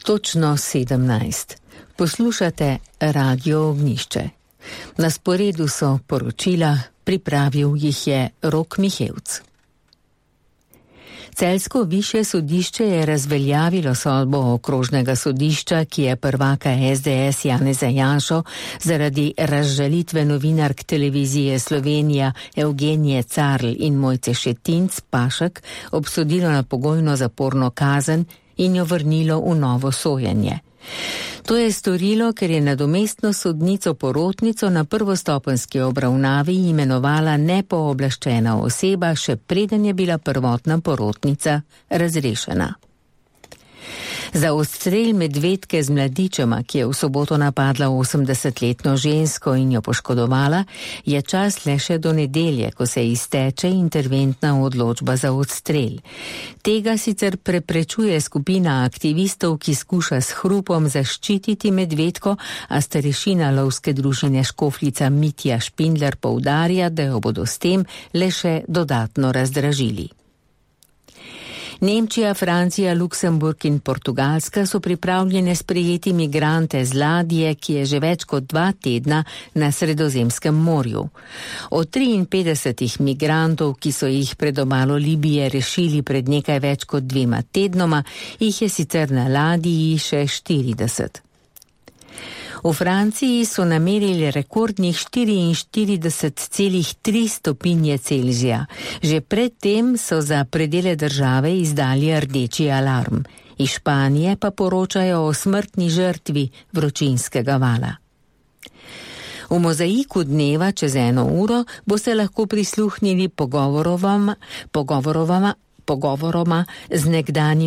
Točno 17. Poslušate Radio Ognjišče. Na sporedu so poročila, pripravil jih je Rok Mihevc. Celjsko višje sodišče je razveljavilo sodbo okrožnega sodišča, ki je prvaka SDS Janeza Janšo zaradi razžalitve novinark televizije Slovenija Evgenije Carl in Mojce Šetinc Pašek obsodilo na pogojno zaporno kazen in jo vrnilo v novo sojenje. To je storilo, ker je nadomestno sodnico porotnico na prvostopenjski obravnavi imenovala nepooblaščena oseba, še preden je bila prvotna porotnica razrešena. Za odstrel medvedke z mladičema, ki je v soboto napadla 80-letno žensko in jo poškodovala, je čas le še do nedelje, ko se izteče interventna odločba za odstrel. Tega sicer preprečuje skupina aktivistov, ki skuša s hrupom zaščititi medvedko, a starešina lovske družine Škofljica Mitja Špindler poudarja, da jo bodo s tem le še dodatno razdražili. Nemčija, Francija, Luksemburg in Portugalska so pripravljene sprejeti migrante z ladje, ki je že več kot 2 tedna na Sredozemskem morju. Od 53 migrantov, ki so jih pred obalo Libije rešili pred nekaj več kot 2 tednoma, jih je sicer na ladji še 40. V Franciji so namerili rekordnih 44,3 stopinje Celzija. Že predtem so za predele države izdali rdeči alarm. Iz Španije pa poročajo o smrtni žrtvi vročinskega vala. V mozaiku dneva čez 1 uro boste lahko prisluhnili pogovoroma z nekdanjim